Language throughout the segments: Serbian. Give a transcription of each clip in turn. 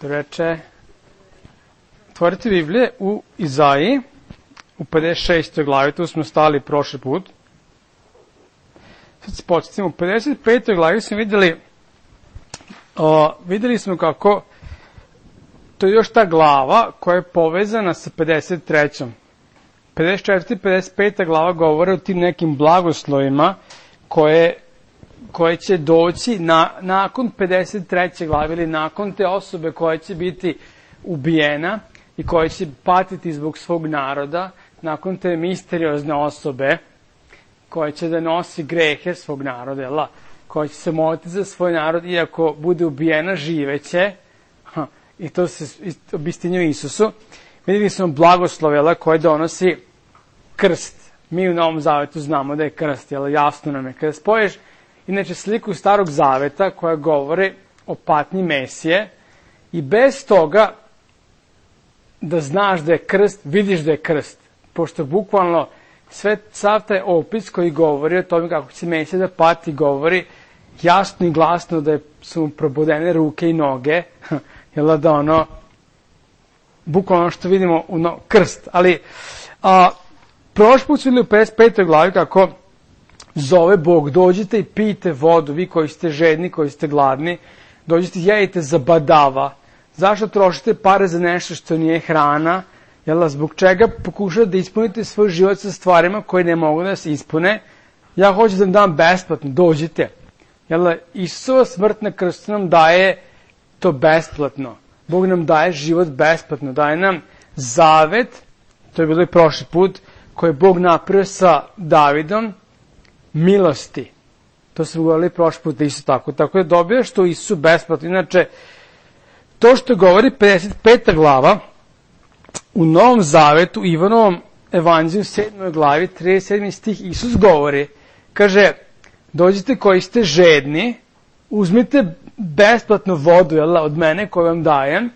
da reče, otvorite Biblije u Izaiji, u 56. glavi, tu smo stali prošli put. Sad se podsjetimo, u 55. glavi smo vidjeli smo kako, to je još ta glava koja je povezana sa 53. 54. i 55. glava govore o tim nekim blagoslovima koje će doći nakon 53. glave ili nakon te osobe koja će biti ubijena i koja će patiti zbog svog naroda, nakon te misteriozne osobe koja će da nosi grehe svog naroda, koja će se moliti za svoj narod, iako bude ubijena, živeće, i to se obistinjuje Isusu. Vidjeli smo blagoslove koje donosi krst. Mi u Novom Zavetu znamo da je krst, jasno nam je. Kada spoješ, inače, sliku Starog Zaveta koja govori o patnji Mesije i bez toga da znaš da je krst, vidiš da je krst. Pošto bukvalno sav taj opis koji govori o tome kako će Mesija da pati, govori jasno i glasno da su mu probodene ruke i noge, da bukvalno što vidimo krst. Ali prošli put su vidjeli u 55. glavi kako zove Bog, dođite i pijte vodu, vi koji ste žedni, koji ste gladni, dođite i jedite za badava. Zašto trošite pare za nešto što nije hrana? Zbog čega pokušate da ispunite svoj život sa stvarima koje ne mogu da se ispune? Ja hoću da vam dam besplatno, dođite. Isusova smrt na krstu nam daje to besplatno. Bog nam daje život besplatno, daje nam zavet, to je bilo i prošli put, koji je Bog napravio sa Davidom, milosti. To smo govorili prošli put isto tako. Tako da dobijaš to Isusu besplatno. Inače, to što govori 55. glava, u Novom Zavetu, Ivanovom evanđelju, 7. glavi, 37. stih, Isus govori, kaže, dođite koji ste žedni, uzmite besplatnu vodu od mene koju vam dajem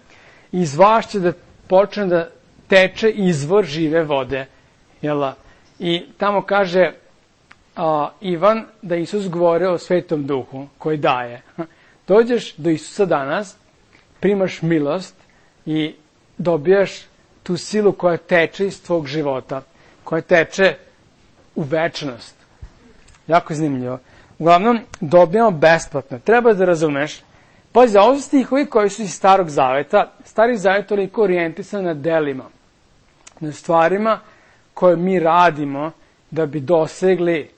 i iz vas će da počne da teče izvor žive vode. I tamo kaže Ivan da Isus govori o Svetom Duhu koji daje. Dođeš do Isusa danas, primaš milost i dobijaš tu silu koja teče iz tvog života, koja teče u večnost. Jako zanimljivo. Uglavnom, dobijamo besplatno. Treba da razumeš. Pazi, ovo su stihovi koji su iz Starog Zaveta. Stari Zavet je toliko orijentisan na delima, na stvarima koje mi radimo da bi dosegli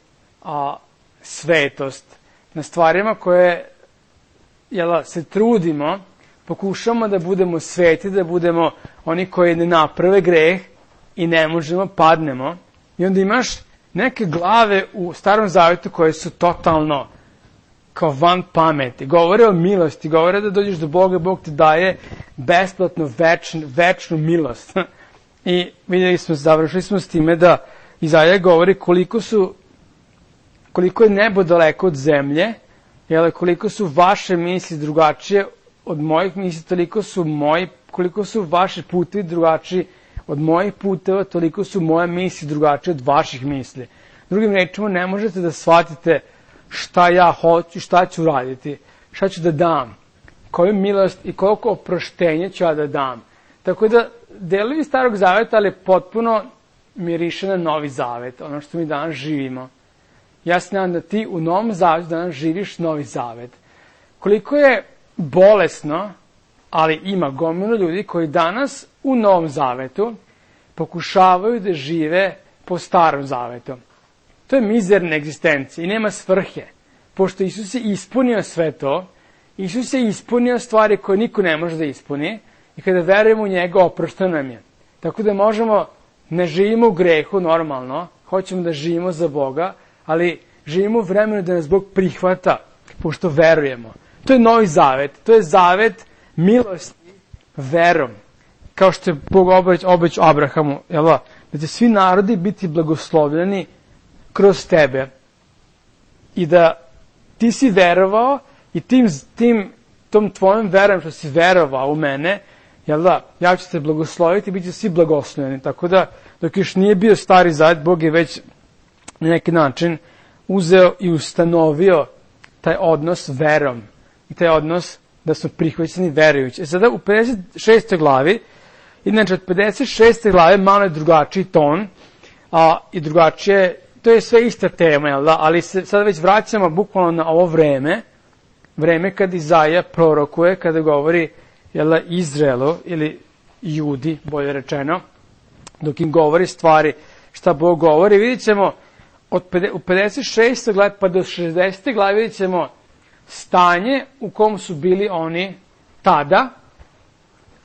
svetost, na stvarima koje se trudimo, pokušamo da budemo sveti, da budemo oni koji ne naprave greh i ne možemo, padnemo. I onda imaš neke glave u Starom Zavetu koje su totalno kao van pameti. Govore o milosti, govore da dođeš do Boga, Bog ti daje besplatno večnu milost. I vidjeli smo, završili smo s time da Izaija govori koliko je nebo daleko od zemlje, koliko su vaše misli drugačije od mojih misli, koliko su vaši putevi drugačiji od mojih puteva, toliko su moje misli drugačije od vaših misli. Drugim rečima, ne možete da shvatite šta ja hoću, šta ću raditi, šta ću da dam, koju milost i koliko oproštenja ću ja da dam. Tako da, delovi Starog Zaveta, ali potpuno miriše na Novi Zavet, ono što mi danas živimo. Ja se nadam da ti u Novom Zavetu danas živiš Novi Zavet. Koliko je bolesno, ali ima gomilu ljudi koji danas u Novom Zavetu pokušavaju da žive po Starom Zavetu. To je mizerna egzistencija i nema svrhe. Pošto Isus je ispunio sve to, Isus je ispunio stvari koje niko ne može da ispuni i kada verujemo u njega, oprošteno nam je. Tako da možemo, ne živimo u grehu normalno, hoćemo da živimo za Boga, ali živimo u vremenu da nas Bog prihvata, pošto verujemo. To je Novi Zavet, to je zavet milosti verom. Kao što je Bog obećao Abrahamu, da će svi narodi biti blagoslovljeni kroz tebe. I da ti si verovao i tom tvojom verom što si verovao u mene, ja ću te blagosloviti i bit će svi blagoslovljeni. Tako da, dok još nije bio Stari Zavet, Bog je već na neki način uzeo i ustanovio taj odnos verom i taj odnos da smo prihvaćeni verujući. Sada u 56. glavi, inače od 56. glave malo je drugačiji ton i drugačije, to je sve ista tema, jel da? Ali se sada već vraćamo bukvalno na ovo vreme kad Izaija prorokuje, kada govori Izraelu ili Judi, bolje rečeno, dok im govori stvari šta Bog govori. Vidjet ćemo u 56. glavi pa do 60. glavi vidjet ćemo stanje u kom su bili oni tada.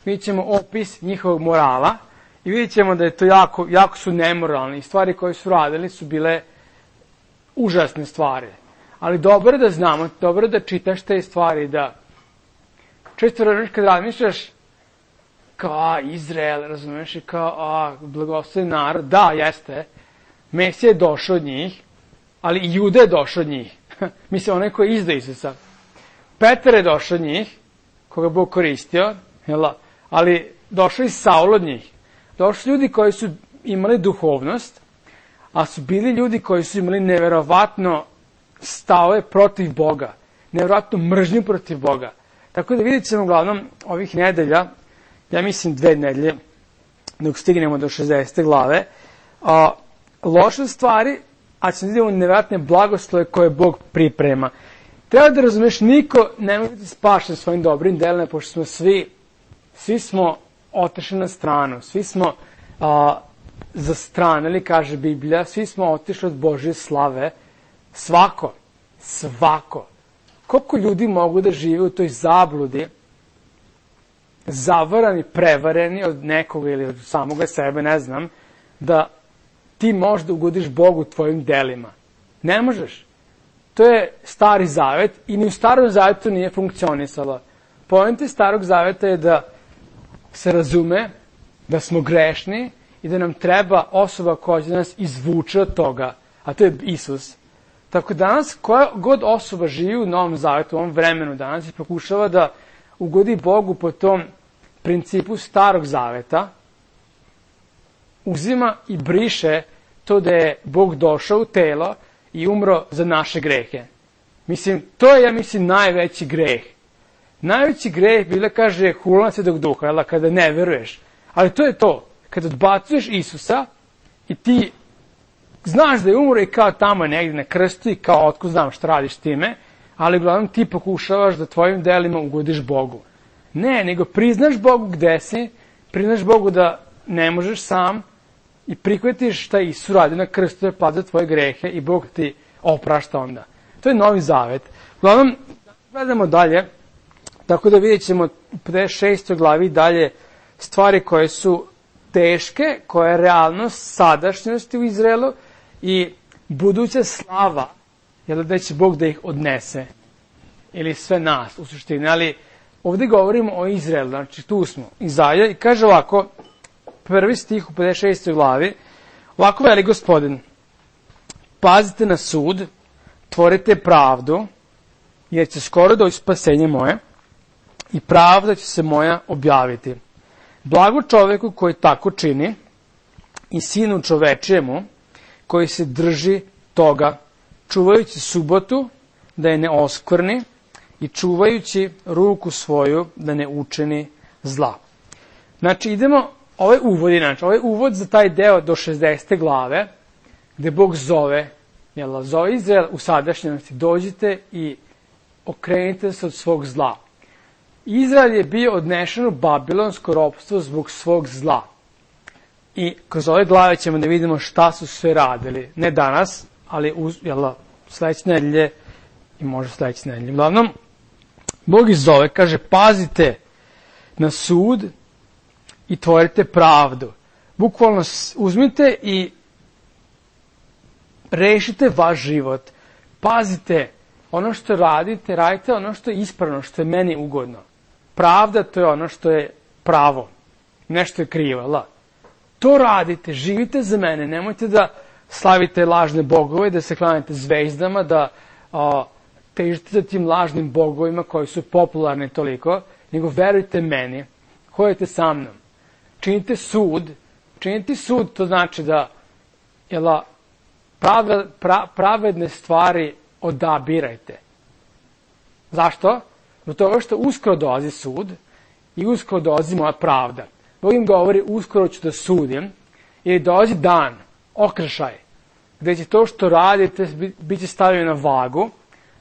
Vidjet ćemo opis njihovog morala i vidjet ćemo da je to jako su nemoralni i stvari koje su radili su bile užasne stvari. Ali dobro da znamo, dobro da čitaš te stvari, da često razumiješ kad razmišljaš kao Izrael, razumiješ, i kao blagoslovljen narod, da, jeste, Mesija je došao od njih, ali i Juda je došao od njih. Mislim, onaj koji je izdao Isusa. Petar je došao od njih, koga Bog koristio, ali došao i Saul od njih. Došli ljudi koji su imali duhovnost, a su bili ljudi koji su imali neverovatno stavove protiv Boga, neverovatno mržnju protiv Boga. Tako da vidjet ćemo uglavnom ovih nedelja, ja mislim 2 nedelje, dok stignemo do 60. glave, loše stvari, a ćemo vidjeti neverovatne blagoslove koje Bog priprema. Treba da razumeš, niko ne može biti spašen svojim dobrim delima, pošto smo svi smo otišli na stranu, svi smo zastranili, kaže Biblija, svi smo otišli od Božje slave, svako. Koliko ljudi mogu da žive u toj zabludi, zavarani, prevareni od nekoga ili od samoga sebe, ne znam, da ti možda ugodiš Bogu tvojim delima. Ne možeš. To je Stari Zavet i ni u Starom Zavetu nije funkcionisalo. Poenta Starog Zaveta je da se razume da smo grešni i da nam treba osoba koja će nas izvuče od toga, a to je Isus. Tako danas, koja god osoba živi u Novom Zavetu, u ovom vremenu danas, i pokušava da ugodi Bogu po tom principu Starog Zaveta, uzima i briše to da je Bog došao u telo i umro za naše grehe. Mislim, to je, najveći greh. Najveći greh, Biblia kaže, hulana Svetog Duha, kada ne veruješ. Ali to je to. Kada odbacuješ Isusa i ti znaš da je umro i kao tamo je negdje na krstu i kao otko znam šta radiš time, ali uglavnom ti pokušavaš da tvojim delima ugodiš Bogu. Ne, nego priznaš Bogu gde si, priznaš Bogu da ne možeš sam i prihvatiš šta Isus radi na krstu je pad za tvoje grehe i Bog ti oprašta onda. To je Novi Zavet. Uglavnom, gledamo dalje, tako da vidjet ćemo u 56. glavi dalje stvari koje su teške, koja je realnost sadašnjosti u Izraelu i buduća slava, da će Bog da ih odnese. Ili sve nas u suštini. Ali ovdje govorimo o Izraelu, znači tu smo. Izaija i kaže ovako, prvi stih u 56. glavi, ovako veli Gospodin, pazite na sud, tvorite pravdu, jer će skoro doći spasenje moje i pravda će se moja objaviti. Blago čoveku koji tako čini i sinu čovečijemu koji se drži toga, čuvajući subotu da je ne oskvrni i čuvajući ruku svoju da ne učini zla. Znači idemo, ovaj uvod za taj deo do 60. glave, gde Bog zove Izrael u sadašnjosti, dođite i okrenite se od svog zla. Izrael je bio odnešen u babilonsko ropstvo zbog svog zla. I kroz ove glave ćemo da vidimo šta su sve radili. Ne danas, ali sledeće nedelje i možda sledeće nedelje. Uglavnom, Bog ih zove, kaže, pazite na sud i tvorite pravdu. Bukvalno uzmite i rešite vaš život. Pazite, ono što radite, radite ono što je ispravno, što je meni ugodno. Pravda, to je ono što je pravo. Nešto je krivo, To radite, živite za mene, nemojte da slavite lažne bogove, da se klanjate zvezdama, da težite za tim lažnim bogovima koji su popularni toliko, nego verujte meni, hodite sa mnom. Činite sud, to znači da pravedne stvari odabirajte. Zašto? Zbog toga što uskoro dolazi sud i uskoro dolazi moja pravda. Bog im govori, uskoro ću da sudim, jer dolazi dan, okršaj, gde će to što radite bit će stavljeno na vagu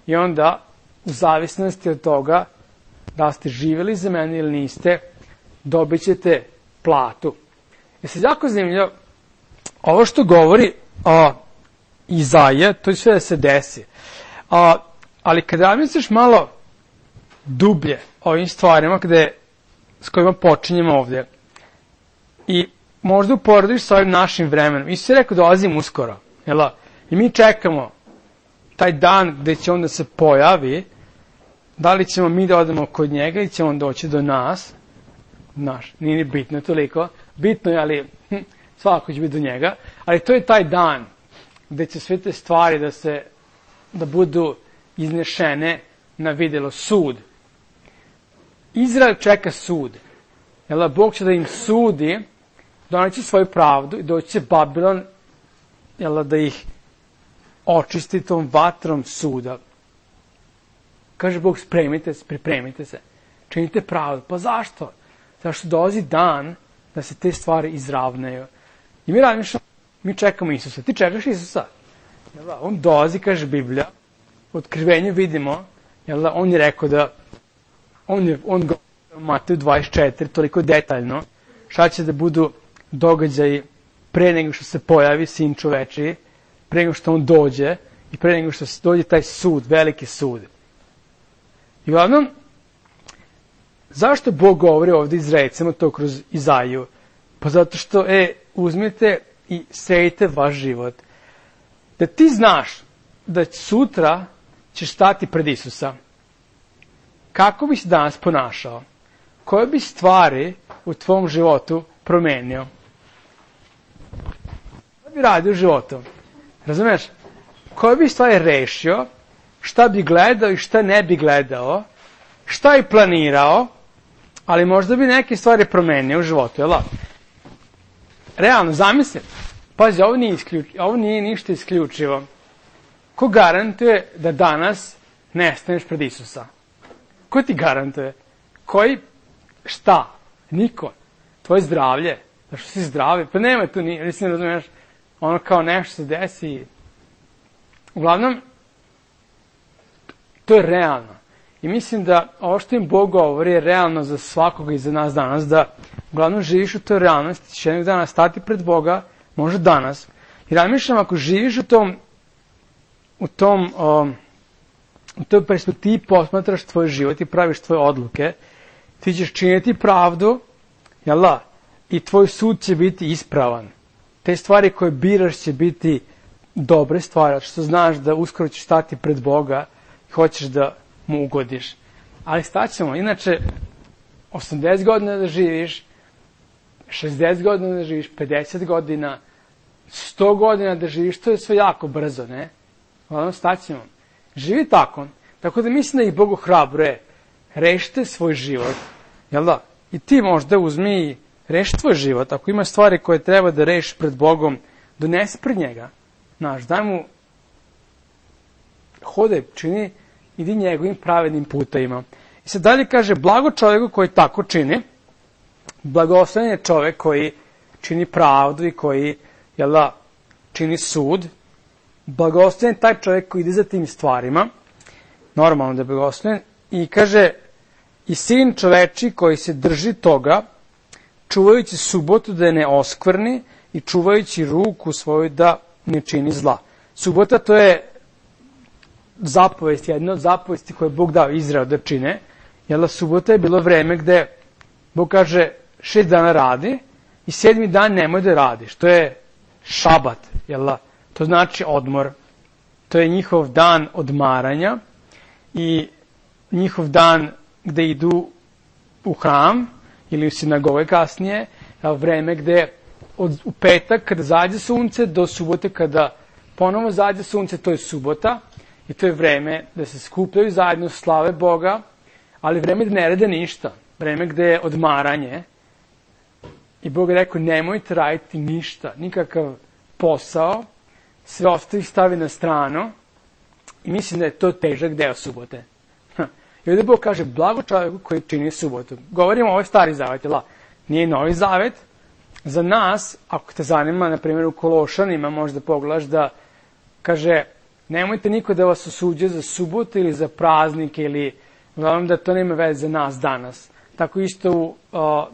i onda, u zavisnosti od toga da ste živjeli za mene ili niste, dobit ćete platu. Je sad jako zanimljivo, ovo što govori Izaija, to će sve da se desi. Ali kada misliš malo dublje o ovim stvarima s kojima počinjemo ovdje i možda uporediš sa ovim našim vremenom, Isus je rekao dolazim uskoro, jel? I mi čekamo taj dan gde će on da se pojavi, da li ćemo mi da odemo kod njega i će on doći do nas, nije ni bitno toliko, bitno je, ali svako će biti do njega, ali to je taj dan gde će sve te stvari da budu iznešene na videlo, sud. Izrael čeka sud. Jel, Bog će da im sudi, doneće svoju pravdu i doći će Babilon, jel, da ih očisti tom vatrom suda. Kaže Bog, spremite se, pripremite se, činite pravdu. Pa zašto? Zato što dolazi dan da se te stvari izravnaju. I mi čekamo Isusa. Ti čekaš Isusa? Jel, on dolazi, kaže Biblija, u Otkrivenju vidimo, jel, on je rekao da on govori u Mateju 24 toliko detaljno šta će da budu događaji pre nego što se pojavi Sin čovečiji, pre nego što on dođe i pre nego što dođe taj sud, veliki sud. I uglavnom, zašto Bog govori ovdje Izraelcima to kroz Izaiju? Pa zato što, uzmite i sejte vaš život. Da ti znaš da sutra ćeš stati pred Isusa. Kako bi se danas ponašao? Koje bi stvari u tvom životu promenio? Šta bi radio u životu? Razumeš? Koje bi stvari rešio? Šta bi gledao i šta ne bi gledao? Šta bi planirao? Ali možda bi neke stvari promenio u životu, jel? Realno, zamisli. Pazi, ovo nije ništa isključivo. Ko garantuje da danas ne staneš pred Isusa? Ko ti garantuje? Koji? Šta? Niko. Tvoje zdravlje. Zašto si zdravi? Pa nema tu ni, mislim, razumiješ, ono kao nešto se desi. Uglavnom, to je realno. I mislim da ovo što im Bog govori je realno za svakoga i za nas danas, da uglavnom živiš u toj realnosti, ćeš jednog dana stati pred Boga, možda danas. I razmišljam, ako živiš u toj perspektivi, posmatraš tvoj život i praviš tvoje odluke, ti ćeš činiti pravdu, jel da? I tvoj sud će biti ispravan. Te stvari koje biraš će biti dobre stvari, što znaš da uskoro ćeš stati pred Boga i hoćeš da mu ugodiš. Ali staćemo, inače, 80 godina da živiš, 60 godina da živiš, 50 godina, 100 godina da živiš, to je sve jako brzo, ne? Uglavnom, staćemo. Živi tako da mislim da ih Bog ohrabruje. Rešite svoj život, jel da? I ti možda uzmi i reši tvoj život. Ako ima stvari koje treba da rešiš pred Bogom, donesi pred njega. Znaš, daj mu hodaj, čini, idi njegovim pravednim putevima. I sad dalje kaže, blago čovjeku koji tako čini, blagosloven je čovjek koji čini pravdu i koji, jel da, čini sud. Blagosloven je taj čovjek koji ide za tim stvarima, normalno da je blagosloven, i kaže, i sin čoveči koji se drži toga, čuvajući subotu da je ne oskvrni i čuvajući ruku svoju da ne čini zla. Subota to je zapovest, jedna od zapovesti koje je Bog dao Izrael da čine, jer subota je bilo vreme gde Bog kaže 6 dana radi i 7. dan nemoj da radiš. To je šabat, jel? To znači odmor. To je njihov dan odmaranja i njihov dan gde idu u hram ili u sinagoge kasnije, vreme gde u petak kada zađe sunce do subote kada ponovo zađe sunce, to je subota i to je vreme da se skupljaju zajedno, slave Boga, ali vreme da ne rade ništa, vreme gde je odmaranje. I Bog je rekao, nemojte raditi ništa, nikakav posao, sve ostavi stavi na stranu i mislim da je to težak deo subote. I ovdje Bog kaže, blago čovjeku koji čini subotu. Govorimo o ovoj stari zavet, nije novi zavet. Za nas, ako te zanima, na primjer u Kološanima možda pogledaš da kaže, nemojte niko da vas osuđuje za subotu ili za praznike ili uglavnom da to nema veze za nas danas. Tako isto u,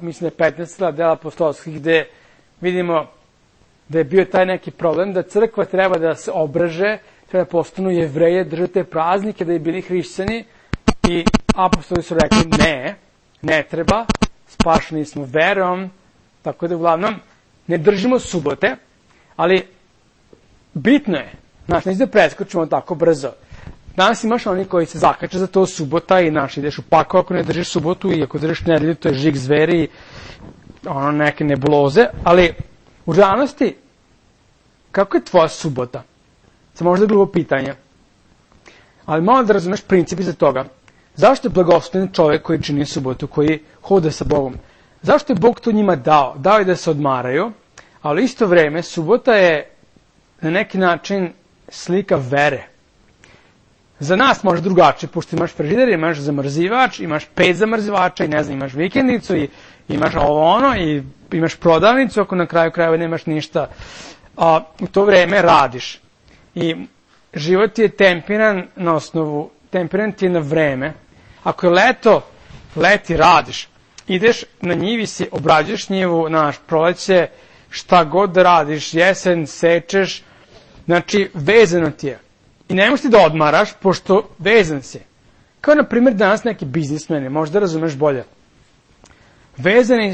mislim da je 15. dela apostolskih gde vidimo da je bio taj neki problem da crkva treba da se obraže, treba da postanu Jevreje, drže te praznike da je bili hrišćani i apostoli su rekli ne treba, spašeni smo verom, tako da uglavnom ne držimo subote, ali bitno je, neće da preskočimo tako brzo. Danas imaš oni koji se zakače za to subota i ideš u pakao ako ne držiš subotu i ako držiš nedelju, to je žig zveri i neke nebuloze, ali u realnosti, kako je tvoja subota? Samo možda je drugo pitanje. Ali malo da razumeš princip iza toga. Zašto je blagosloven čovjek koji čini subotu, koji hoda sa Bogom? Zašto je Bog to njima dao? Dao je da se odmaraju, ali isto vreme subota je na neki način slika vere. Za nas može drugačije, pošto imaš frižider, imaš zamrzivač, imaš 5 zamrzivača i ne znam, imaš vikendicu i imaš i imaš prodavnicu, ako na kraju krajeva nemaš ništa. U to vreme radiš. I život je tempiran na osnovu, tempiran ti je na vreme. Ako je leto, leti radiš. Ideš na njivi si, obrađuješ njivu, proleće, šta god da radiš, jesen, sečeš, znači vezano ti je. I ne možeš ti da odmaraš, pošto vezan si. Kao na primjer danas neki biznismeni, možda razumeš bolje.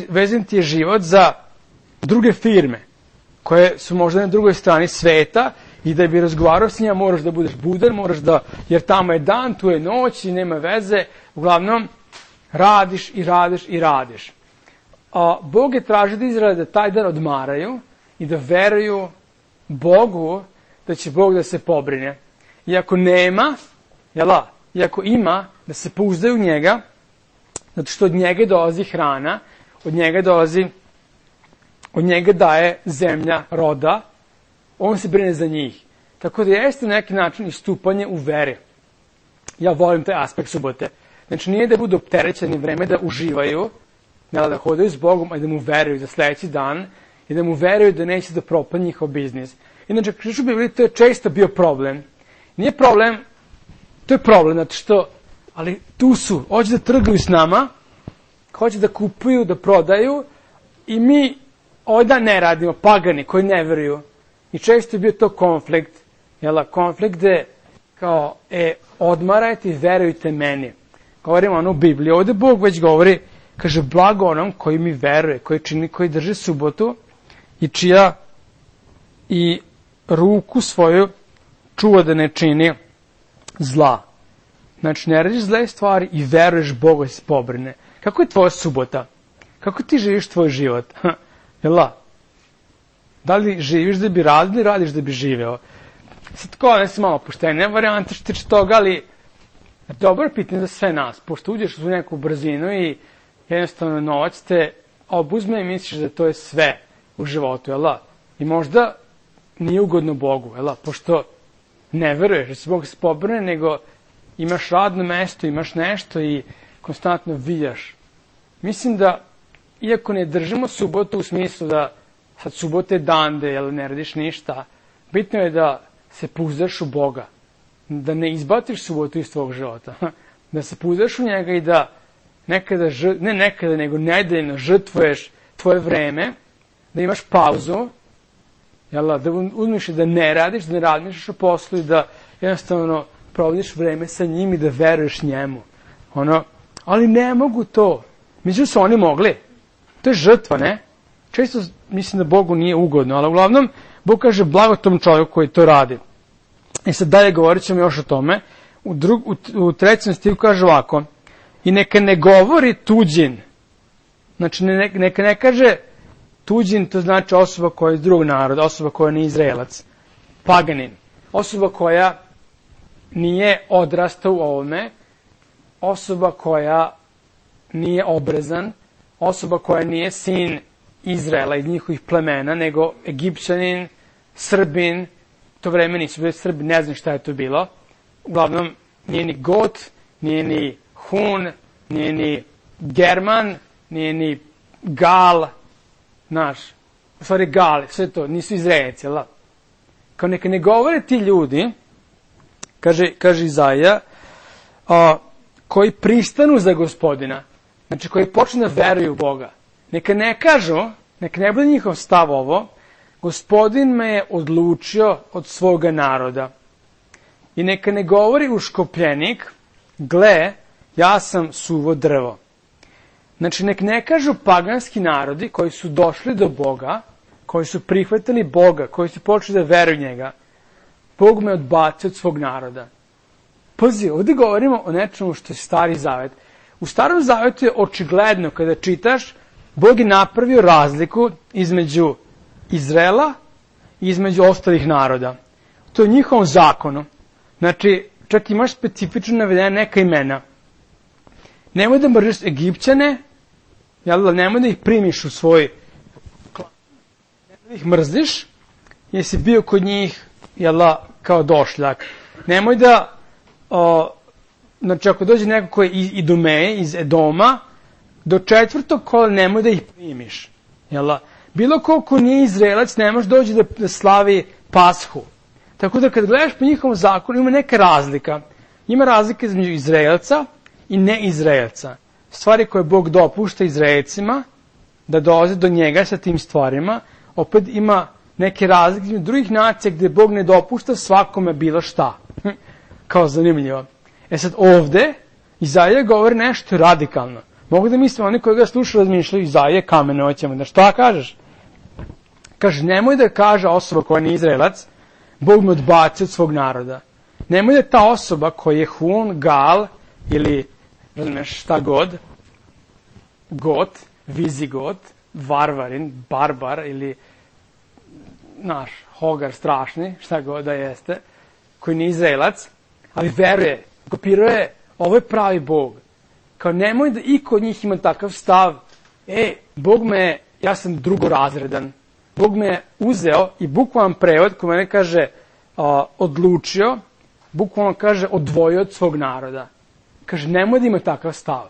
Vezan ti je život za druge firme, koje su možda na drugoj strani sveta i da bi razgovarao s njima moraš da budeš budan, jer tamo je dan, tu je noć i nema veze. Uglavnom, radiš i radiš i radiš. Bog je tražio od Izraela da taj dan odmaraju i da veruju Bogu da će Bog da se pobrine. I ako nema, i ako ima, da se pouzdaju u njega, zato što od njega dolazi hrana, od njega daje zemlja roda, on se brine za njih. Tako da jeste na neki način istupanje u veri. Ja volim taj aspekt subote. Znači nije da budu opterećeni vreme da uživaju, da hodaju s Bogom, a da mu veruju za sljedeći dan i da mu veruju da neće da propadne njihov biznis. Inače, u Bibliji to je često bio problem. Nije problem, to je problem, zato što, ali tu su, hoće da trguju s nama, hoće da kupuju, da prodaju i mi ovdje ne radimo, pagani koji ne veruju. I često je bio to konflikt, konflikt gde kao, odmarajte i verujte meni. Govorimo u Bibliji, ovdje Bog već govori, kaže, blago onom koji mi veruje, koji drži subotu i čija i ruku svoju čuva da ne čini zla. Znači, ne radiš zle stvari i veruješ Bogu da se pobrine. Kako je tvoja subota? Kako ti živiš tvoj život? Da li živiš da bi radili ili radiš da bi živeo? Sad tako, ne si malo poštene varijante što tiče toga, ali dobro je pitanje za sve nas. Pošto uđeš u neku brzinu i jednostavno novac te obuzme i misliš da to je sve u životu, I možda nije ugodno Bogu, pošto ne veruješ da se Bog se pobrine, nego imaš radno mesto, imaš nešto i konstantno viljaš. Mislim da, iako ne držimo subotu u smislu da sad subota je dan da ne radiš ništa, bitno je da se pouzdaš u Boga, da ne izbaciš subotu iz tvog života, da se pouzdaš u njega i da nego nedeljno žrtvuješ tvoje vreme, da imaš pauzu, da uzmeš i da ne radiš, da ne razmišljaš o poslu i da jednostavno provodiš vreme sa njim i da veruješ njemu. Ali ne mogu to. Međutim su oni mogli. To je žrtva, ne? Često mislim da Bogu nije ugodno, ali uglavnom Bog kaže blago tom čovjeku koji to radi. I sad dalje govorit ćemo još o tome. U 3. stihu kaže ovako, i neka ne govori tuđin. Znači neka ne kaže tuđin, to znači osoba koja je iz drugog naroda, osoba koja nije Izraelac, paganin, osoba koja nije odrastao u ovome, osoba koja nije obrezan, osoba koja nije sin Izraela iz njihovih plemena, nego Egipćanin, Srbin, to vreme nisu bili Srbi, ne znam šta je to bilo. Uglavnom, nije ni Got, nije ni Hun, nije ni German, nije ni Gal, u stvari Gal, sve to, nisu Izraelci, jel da? Kao neka ne govore ti ljudi, kaže Izaija, koji pristanu za Gospodina, znači koji počnu da veruju u Boga. Neka ne kažu, neka ne bude njihov stav ovo, Gospodin me je odlučio od svoga naroda. I neka ne govori uškopljenik, gle, ja sam suvo drvo. Znači, nek ne kažu paganski narodi koji su došli do Boga, koji su prihvatili Boga, koji su počeli da veruju njega, Bog me odbacio od svog naroda. Pazi, ovdje govorimo o nečemu što je Stari Zavet. U Starom Zavetu je očigledno, kada čitaš, Bog je napravio razliku između Izraela i između ostalih naroda. To je u njihovom zakonu. Znači, čak imaš specifično navedene neka imena. Nemoj da mrziš Egipćane, nemoj da ih primiš u svoj klan. Nemoj da ih mrziš, jer si bio kod njih kao došljak. Nemoj da, znači ako dođe neko koji je iz Idumeje, iz Edoma, do 4. kola nemoj da ih primiš. Bilo ko nije Izraelac, ne može doći da slavi Pashu. Tako da kad gledaš po njihovom zakonu, ima neka razlika. Ima razlika između Izraelca i neizraelca. Stvari koje Bog dopušta Izraelcima da dolaze do njega sa tim stvarima, opet ima neke razlike između drugih nacija gdje Bog ne dopušta svakome bilo šta. Kao zanimljivo. Sad ovde Izaija govori nešto radikalno. Mogu da mislim, oni koji ga slušaju razmišljaju, Izaija kamene hoćemo. Da šta kažeš? Kaže, nemoj da kaže osoba koja nije Izraelac, Bog me odbacio od svog naroda. Nemoj da ta osoba koja je Hun, Gal ili šta god, Got, Vizigot, Varvarin, Barbar ili Hogar strašni, šta god da jeste, koji nije Izraelac, ali veruje, kopiruje, ovo je pravi Bog. Kao nemoj da i kod njih ima takav stav, Bog me, ja sam drugorazredan. Bog me je uzeo i bukvalan prevod koji mene kaže odlučio, bukvalno kaže odvojio od svog naroda. Kaže nemoj da ima takav stav.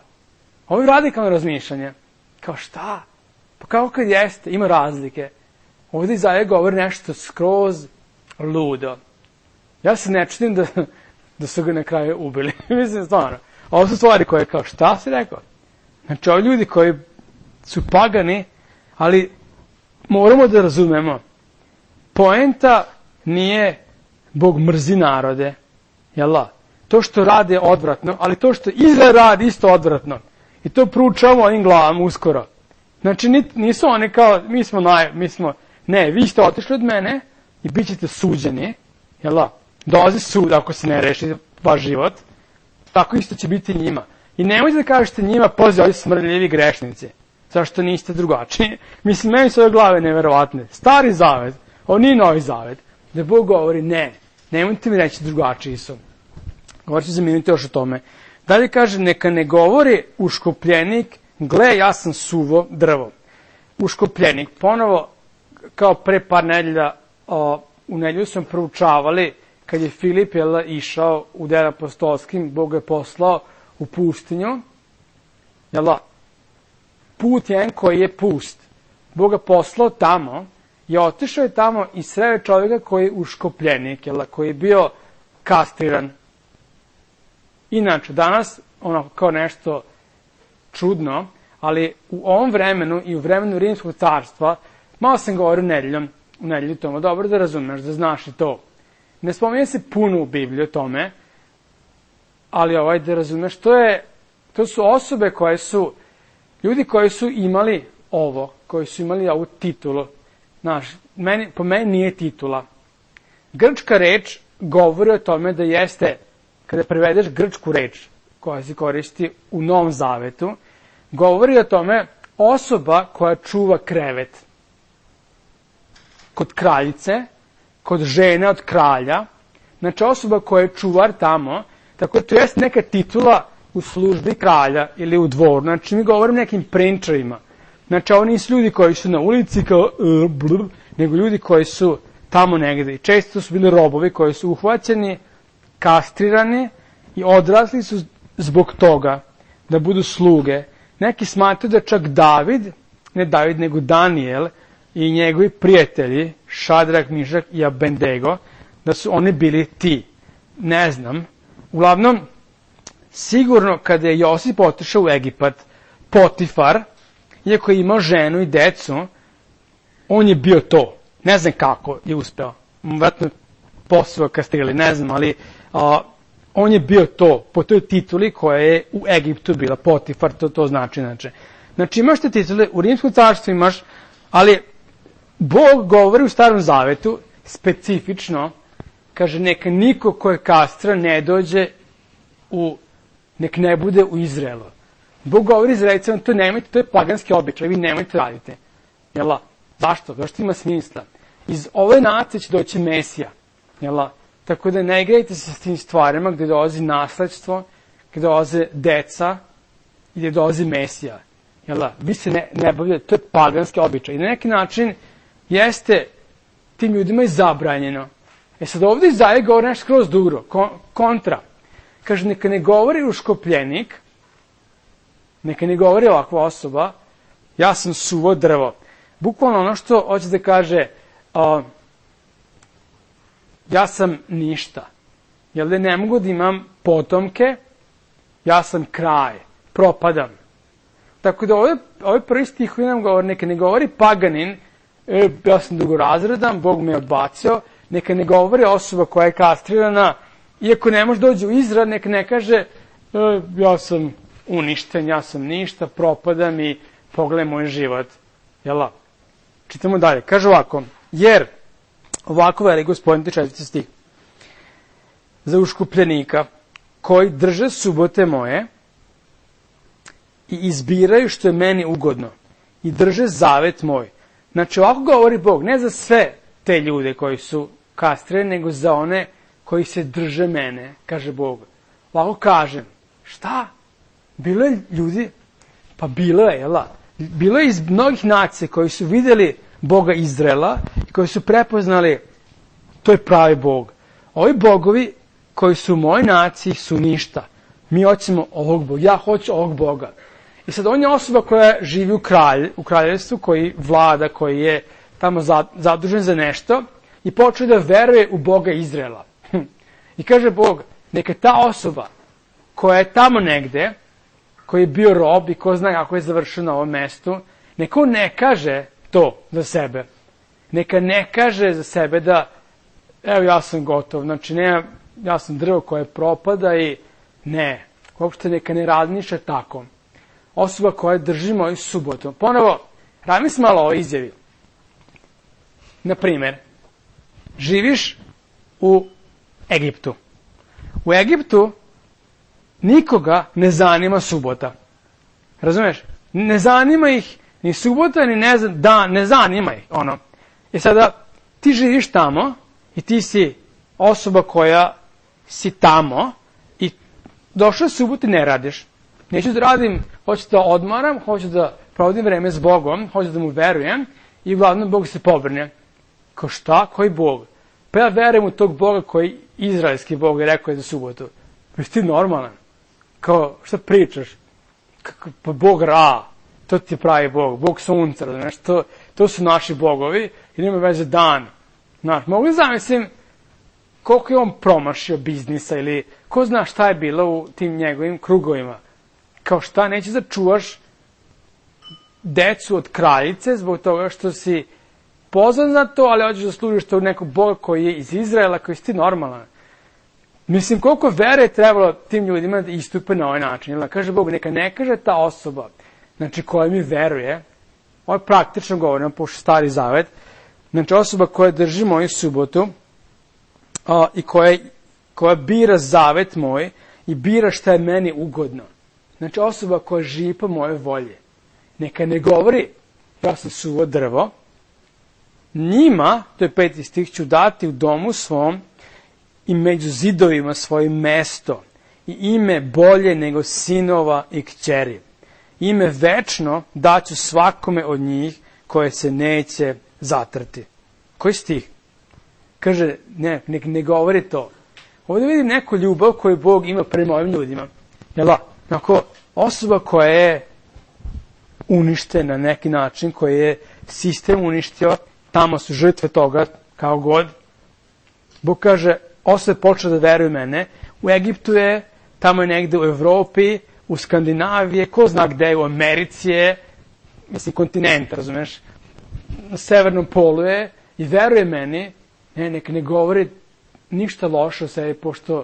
Ovo je radikalno razmišljanje. Kao šta? Pa kao kad jeste, ima razlike. Ovdje Izaija govori nešto skroz ludo. Ja se ne čudim da su ga na kraju ubili. Mislim stvarno. Ovo su stvari koje kao šta si rekao? Znači ovi ljudi koji su pagani, ali moramo da razumemo. Poenta nije Bog mrzi narode. To što rade je odvratno, ali to što Izrael radi isto odvratno. I to proučavamo onim glavama uskoro. Znači nisu oni kao, ne, vi ste otišli od mene i bit ćete suđeni. Dolazi sud ako se ne reši vaš život. Tako isto će biti njima. I nemojte da kažete njima, poziv, ovi smrdljivi grešnici. Zašto niste drugačiji? Meni su ove glave neverovatne. Stari Zavet, ovo nije Novi Zavet, da Bog govori ne, nemojte mi reći drugačiji su. Govorit ću za minuti još o tome. Dalje kaže, neka ne govori uškopljenik, gle, ja sam suvo drvo. Uškopljenik, ponovo, kao pre par nedelja, u nedelju smo proučavali, kad je Filip išao u Delima apostolskim, Bog je poslao u pustinju, put jedan koji je pust. Bog ga poslao tamo i otišao je tamo i sreo čovjeka koji je uškopljenik, koji je bio kastriran. Inače, danas, kao nešto čudno, ali u ovom vremenu i u vremenu Rimskog carstva, malo sam govorio u nedelju tomu, dobro da razumeš, da znaš i to. Ne spominje se puno u Bibliji o tome, ali da razumeš, to su osobe koje su, ljudi koji su imali ovo, koji su imali ovu titulu. Po meni nije titula. Grčka reč govori o tome da jeste, kada prevedeš grčku reč, koja se koristi u Novom Zavetu, govori o tome osoba koja čuva krevet. Kod kraljice, kod žene od kralja, znači osoba koja je čuvar tamo, tako da to jest neka titula u službi kralja ili u dvoru. Znači mi govorimo nekim prinčarima. Znači ovo nisu ljudi koji su na ulici kao nego ljudi koji su tamo negde. I često su bili robovi koji su uhvaćeni, kastrirani i odrasli su zbog toga da budu sluge. Neki smatraju da čak David, ne David nego Daniel i njegovi prijatelji, Šadrak, Mišak i Abednego, da su oni bili ti. Ne znam. Uglavnom, sigurno kada je Josip otišao u Egipat, Potifar, iako je imao ženu i decu, on je bio to. Ne znam kako je uspeo. Vratno posao kastrili, ne znam, ali on je bio to, po toj tituli koja je u Egiptu bila, Potifar, to znači. Znači imaš te titule, u Rimskom carstvu imaš, ali Bog govori u Starom Zavetu, specifično, kaže, neka niko ko je kastra ne dođe nek ne bude u Izraelu. Bog govori Izraelicama, to nemojte, to je paganski običaj, vi nemojte radite. Jela? Zašto? Zašto ima smisla? Iz ove nacije će doći Mesija. Jela? Tako da ne igrajte se s tim stvarima gde dolazi nasledstvo, gde dolaze deca i gde dolazi Mesija. Jela? Vi se ne bavljate, to je paganski običaj. I na neki način jeste tim ljudima i zabranjeno. Sad ovdje Izaija govori nešto skroz drugo, kontra. Kaže, neka ne govori uškopljenik, neka ne govori ovakva osoba, ja sam suvo drvo. Bukvalno ono što hoće da kaže, ja sam ništa. Jel da ne mogu da imam potomke, ja sam kraj, propadam. Tako da ovaj prvi stih koji nam govori, neka ne govori paganin, ja sam drugorazredan, Bog me odbacio, neka ne govori osoba koja je kastrirana, iako ne može doći u Izrael, neka ne kaže, ja sam uništen, ja sam ništa, propadam i pogledaj moj život. Jela? Čitamo dalje. Kaže ovako, jer, ovako veli Gospodin, 4. stih, za uškupljenika koji drže subote moje i izbiraju što je meni ugodno i drže zavet moj. Znači ovako govori Bog, ne za sve te ljude koji su kastrirani, nego za one koji se drže mene, kaže Bog. Ovako kažem, šta? Bilo je ljudi, pa bilo je, jela? Bilo je iz mnogih nacija koji su vidjeli Boga Izraela i koji su prepoznali, to je pravi Bog. Ovi bogovi koji su u mojoj naciji su ništa. Mi hoćemo ovog Boga, ja hoću ovog Boga. I sad on je osoba koja živi u kraljevstvu, koji vlada, koji je tamo zadužen za nešto i počeo da veruje u Boga Izraela. I kaže Bog, neka ta osoba koja je tamo negde, koji je bio rob i ko zna kako je završio na ovom mestu, neka on ne kaže to za sebe. Neka ne kaže za sebe da, evo ja sam gotov, znači ne, ja sam drvo koje propada i ne, uopšte neka ne razmišlja tako. Osoba koja drži moju subotu. Ponovo, razmisli malo o izjavi. Naprimer, živiš u Egiptu. U Egiptu nikoga ne zanima subota. Razumeš? Ne zanima ih ni subota, ni ne zanima ih. I sada ti živiš tamo i ti si osoba koja si tamo i došao subot i ne radiš. Neću da radim, hoću da odmaram, hoću da provodim vreme s Bogom, hoću da mu verujem i uglavnom Bog se pobrne. Kao šta? Koji Bog? Pa ja verujem u tog Boga koji izraelski Bog je rekao je za subotu. Pa ti normalan. Kao, šta pričaš? Pa Bog Ra, to ti je pravi Bog, Bog sunca, znaš, to su naši bogovi i nema veze dan. Znaš, mogu li zamislim koliko je on promašio biznisa ili ko zna šta je bilo u tim njegovim krugovima. Kao šta, nećeš da čuvaš decu od kraljice zbog toga što si pozvan za to, ali hoćeš da služiš to nekog Boga koji je iz Izraela, koji si ti normalan. Mislim, koliko vere je trebalo tim ljudima da istupe na ovaj način. Jel, kaže Bog, neka ne kaže ta osoba, znači koja mi veruje, ovo je praktično govorimo, pošto Stari Zavet, znači osoba koja drži moju subotu i koja bira zavet moj i bira šta je meni ugodno. Znači osoba koja živi po moje volje. Neka ne govori, ja sam suvo drvo, njima, to je 5. stih, ću dati u domu svom i među zidovima svoje mesto i ime bolje nego sinova i kćeri. Ime večno daću svakome od njih koje se neće zatrti. Koji stih? Kaže, ne govori to. Ovdje vidim neku ljubav koju Bog ima prema ovim ljudima. Onako, osoba koja je uništena na neki način, koji je sistem uništio, tamo su žrtve toga, kao god. Bog kaže, osoba je počela da veruje mene, u Egiptu je, tamo je negde u Evropi, u Skandinaviji, ko zna gde je, u Americi je, mislim, kontinent, razumeš, na severnom polu je, i veruje meni, neka ne govori ništa loše o sebi, pošto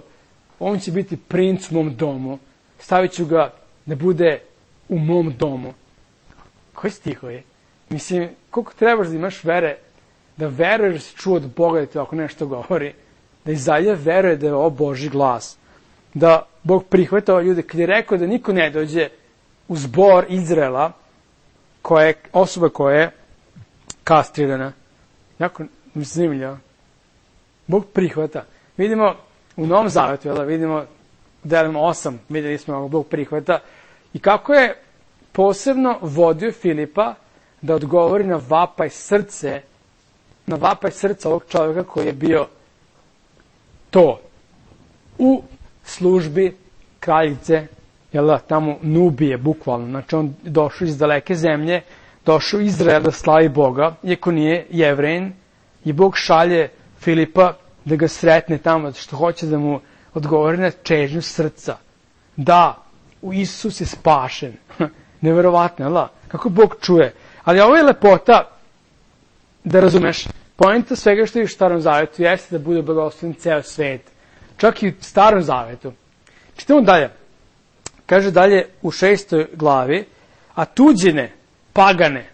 on će biti princ u mom domu, stavit ću ga da bude u mom domu. Koji stihovi? Mislim, koliko trebaš da imaš vere, da veruješ da si čuo od Boga da ti ako nešto govori, da iz dalje veruje da je ovo Božji glas, da Bog prihvata ove ljude, kad je rekao da niko ne dođe u zbor Izraela, osoba koja je kastrirana. Jako zanimljivo. Bog prihvata. Vidimo u Novom Zavetu, vidimo u delima 8, vidjeli smo kako Bog prihvata i kako je posebno vodio Filipa da odgovori na vapaj srca ovog čovjeka koji je bio to u službi kraljice, tamo Nubije, bukvalno. Znači on došao iz daleke zemlje, došao u Izrael da slavi Boga, iako nije Jevrejin, i Bog šalje Filipa da ga sretne tamo, što hoće da mu odgovori na čežnju srca. Da, u Isus je spašen. Neverovatno, kako Bog čuje. Ali ovo je lepota, da razumeš, poenta svega što je u Starom Zavetu jeste da bude blagoslovljen ceo svet. Čak i u Starom Zavetu. Čitamo dalje. Kaže dalje u 6. glavi, a tuđine, pagane,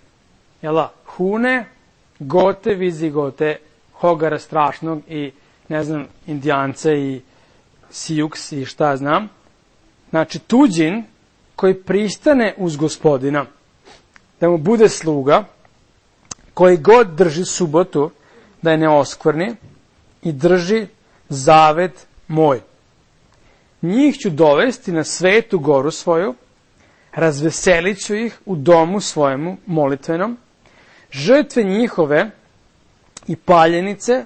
Hune, Gote, Vizigote, Hogara strašnog i, Indijance i Sijuks i šta znam. Znači, tuđin koji pristane uz Gospodina, da mu bude sluga, koji god drži subotu, da je ne oskvrni i drži zavet moj. Njih ću dovesti na svetu goru svoju, razveselit ću ih u domu svojemu molitvenom, žrtve njihove i paljenice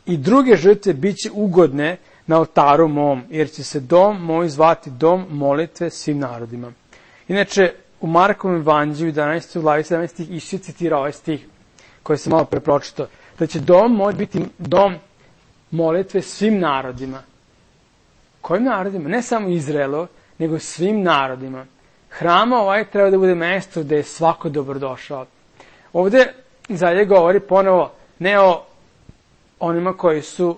i druge žrtve bit će ugodne na oltaru mom, jer će se dom moj zvati dom molitve svim narodima. Inače, u Markovom evanđelju 11. glavi 17. Isus citira ovaj stih koji sam malo prepročitao, da će dom moj biti dom molitve svim narodima. Kojim narodima? Ne samo Izraelu, nego svim narodima. Hram ovaj treba da bude mesto gde je svako dobrodošao. Ovde Izaija govori ponovo ne o onima koji su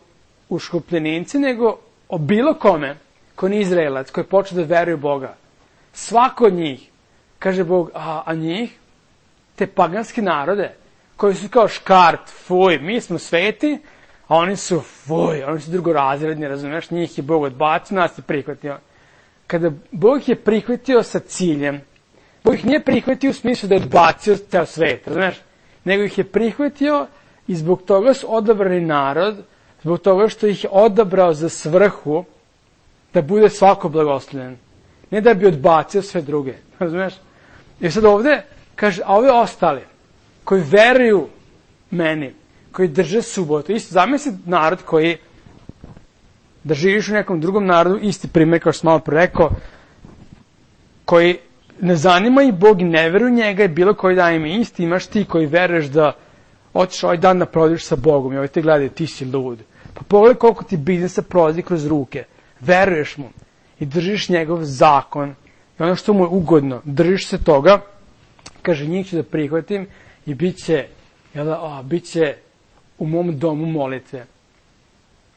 uškupljenici, nego o bilo kome ko nije Izraelac, koji počne da veruje u Boga. Svako od njih, kaže Bog, a njih, te paganske narode, koji su kao škart, fuj, mi smo sveti, a oni su drugorazredni, razumiješ, njih je Bog odbacio, nas je prihvatio. Kada Bog je prihvatio sa ciljem, Bog ih nije prihvatio u smislu da je odbacio ceo svet, razumiješ, nego ih je prihvatio i zbog toga su odabrani narod, zbog toga što ih je odabrao za svrhu da bude svako blagoslovljen. Ne da bi odbacio sve druge, razumiješ? I sad ovde kaže, a ovi ostali, koji veruju meni, koji drže subotu, isto zamisli narod koji, da živiš u nekom drugom narodu, isti primjer kao što sam malo pre rekao, koji ne zanima i Bog i ne veruju njega i bilo koji dan ima isti, imaš ti koji veruješ da hoćeš ovaj dan da prođeš sa Bogom i ovaj te gledaju, ti si lud. Pa pogledaj koliko ti biznisa prolazi kroz ruke, veruješ mu i držiš njegov zakon i ono što mu je ugodno, držiš se toga, kaže njih ću da prihvatim i bit će u mom domu molitve.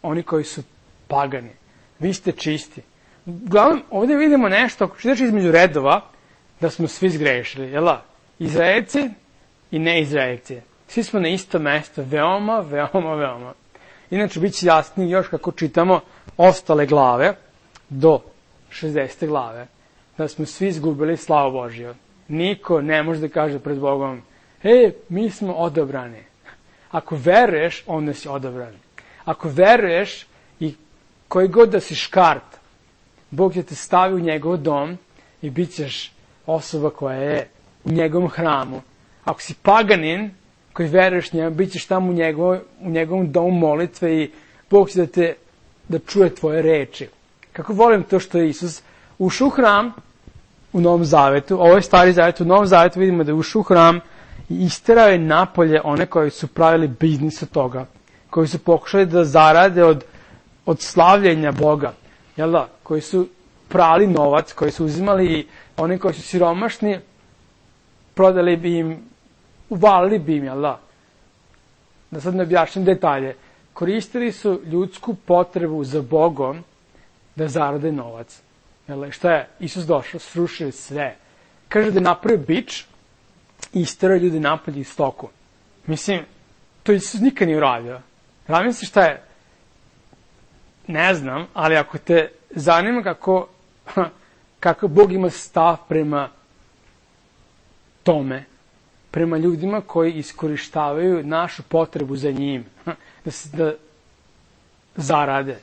Oni koji su pagani, vi ste čisti. Uglavnom, ovdje vidimo nešto, ako čitaš između redova, da smo svi zgrešili, Izraelci i neizraelci. Svi smo na isto mesto, veoma, veoma, veoma. Inače, bit će jasnije još kako čitamo ostale glave, do 60. glave, da smo svi izgubili slavu Božiju. Niko ne može da kaže pred Bogom, mi smo odabrani. Ako veruješ, onda si odabran. Ako veruješ i koji god da si škart, Bog će te stavi u njegov dom i bit ćeš osoba koja je u njegovom hramu. Ako si paganin koji veruješ njemu, bit ćeš tamo u njegovom domu molitve i Bog će da čuje tvoje reči. Kako volim to što je Isus ušao u hram u Novom Zavetu, ovo je Stari Zavet, u Novom Zavetu vidimo da je ušao u hram i isterao je napolje one koji su pravili biznis od toga, koji su pokušali da zarade od slavljenja Boga, jel da, koji su prali novac, koji su uzimali i oni koji su siromašni, prodali bi im, uvalili bi im, jel da sad ne objašnjam detalje, koristili su ljudsku potrebu za Bogom da zarade novac. Jel, šta je Isus došao, srušio sve. Kaže da je napravio bič i isterao ljudi napolje iz stoku. Mislim, to Isus nikad nije uradio. Radim se šta je, ne znam, ali ako te zanima kako Bog ima stav prema tome, prema ljudima koji iskorištavaju našu potrebu za njim, da zarade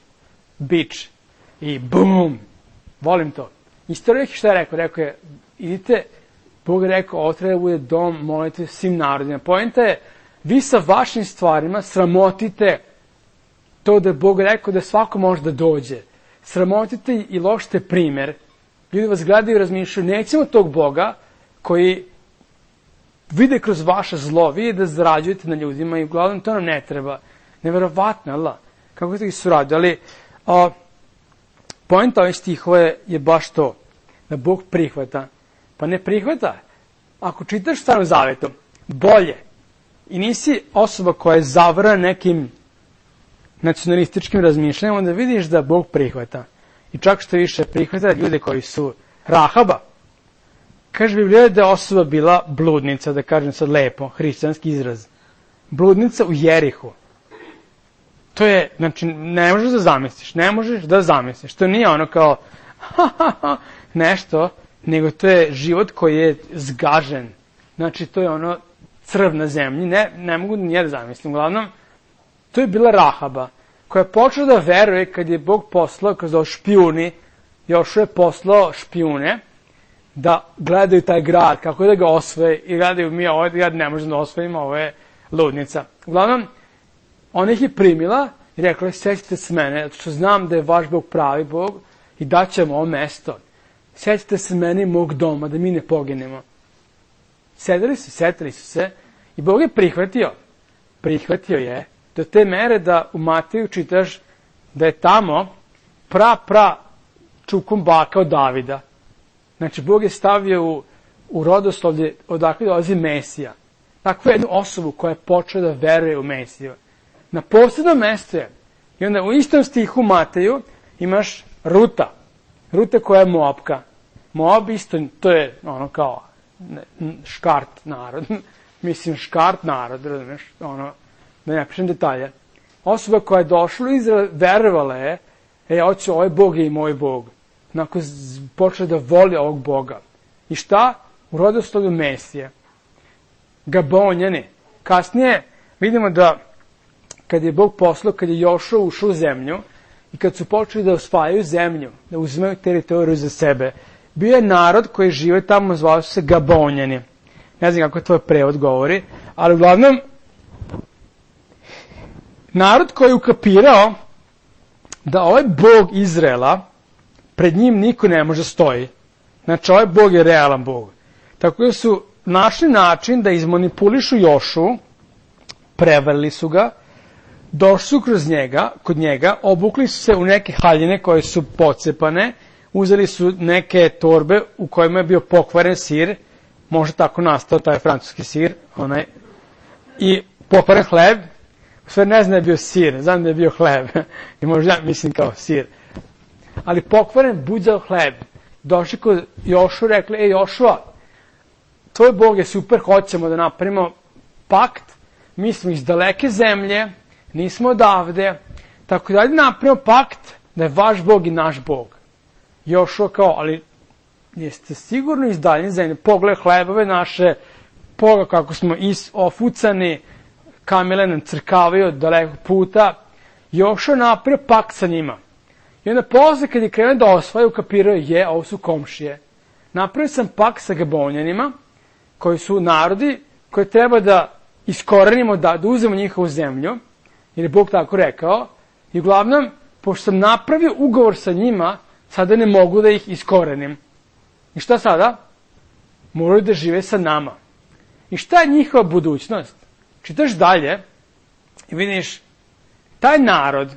bič i bum, volim to. Isto šta je rekao? Rekao je, idite, Bog je rekao, ovo treba da bude dom, molite svim narodima. Poenta je, vi sa vašim stvarima sramotite to da je Bog rekao da svako može da dođe. Sramotite i lošite primer. Ljudi vas gledaju i razmišljaju, nećemo tog Boga koji vide kroz vaše zlo, vi da zarađujete na ljudima i uglavnom to nam ne treba. Neverovatno, ali kako ste ih su radili. Ali poenta ovih stihova je baš to, da Bog prihvata. Pa ne prihvata. Ako čitaš Starom Zavetom, bolje, i nisi osoba koja je zavrana nekim nacionalističkim razmišljanjem, onda vidiš da Bog prihvata. I čak što više prihvata ljude koji su Rahaba. Kaže Biblija da je osoba bila bludnica, da kažem sad lepo, hrišćanski izraz. Bludnica u Jerihu. To je, znači, ne možeš da zamisliš. To nije ono kao, nešto, nego to je život koji je zgažen. Znači, to je ono crv na zemlji. Ne mogu nije da zamislim. Uglavnom, to je bila Rahaba, koja je počela da veruje kad je Bog poslao, kroz špijuni, Jošua je poslao špijune, da gledaju taj grad, kako da ga osvoje, i gledaju, mi ovaj grad ne možemo da osvojimo, ovo je ludnica. Uglavnom, ona ih je primila i rekla, sjećate se mene, zato što znam da je vaš Bog pravi Bog i daćemo ovo mesto. Sjećate se mene i mog doma, da mi ne poginemo. Setili su se i Bog je prihvatio je do te mere da u Mateju čitaš da je tamo čukom baka od Davida. Znači, Bog je stavio u rodoslovlje odakle dolazi Mesija. Takvu jednu osobu koja je počela da veruje u Mesiju. Na posebnom mjestu je. I onda u istom stihu Mateju imaš Ruta. Ruta koja je Moabka. Moab isto, to je ono kao škart narod. Mislim, škart narod, razumiješ? Ono, da ne pišem detalje. Osoba koja je došla u Izrael, verovala je, hoće, ovaj Bog je i moj Bog. Onako počela da voli ovog Boga. I šta? U rodoslovlju Mesije. Gabonjani. Kasnije vidimo da kad je Bog poslao, kad je Jošua ušao u zemlju i kad su počeli da osvajaju zemlju, da uzimaju teritoriju za sebe, bio je narod koji žive tamo, zvao se Gabonjani. Ne znam kako tvoj prevod govori, ali uglavnom narod koji je ukapirao da ovaj Bog Izraela pred njim niko ne može stoji. Znači, ovaj Bog je realan Bog. Tako da su našli način da izmanipulišu Jošu, prevarili su ga, došli su kod njega, obukli su se u neke haljine koje su pocepane, uzeli su neke torbe u kojima je bio pokvaren sir, možda tako nastao taj francuski sir, i pokvaren hleb, sve ne znam da je bio sir, znam da je bio hleb, i možda mislim kao sir. Ali pokvaren buđao hleb. Došli kod Jošua, rekli, Jošua, tvoj Bog je super, hoćemo da napravimo pakt, mi smo iz daleke zemlje, nismo odavde, tako da napravimo pakt da je vaš Bog i naš Bog. Jošua kao, ali jeste sigurno iz daljne zemlje, pogledaj hlebove naše, pogledaj kako smo ofucani, kamele nam crkavaju od dalekog puta. Jošua napravio pakt sa njima. I onda posle kad je krenuo da osvaja, ukapirao je, ovo su komšije. Napravio sam pakt sa Gabonjanima, koji su narodi koje treba da iskorenimo, da uzemo njihovu zemlju, jer je Bog tako rekao. I uglavnom, pošto sam napravio ugovor sa njima, Sada ne mogu da ih iskorenim. I šta sada? Moraju da žive sa nama. I šta je njihova budućnost? Čitaš dalje i vidiš taj narod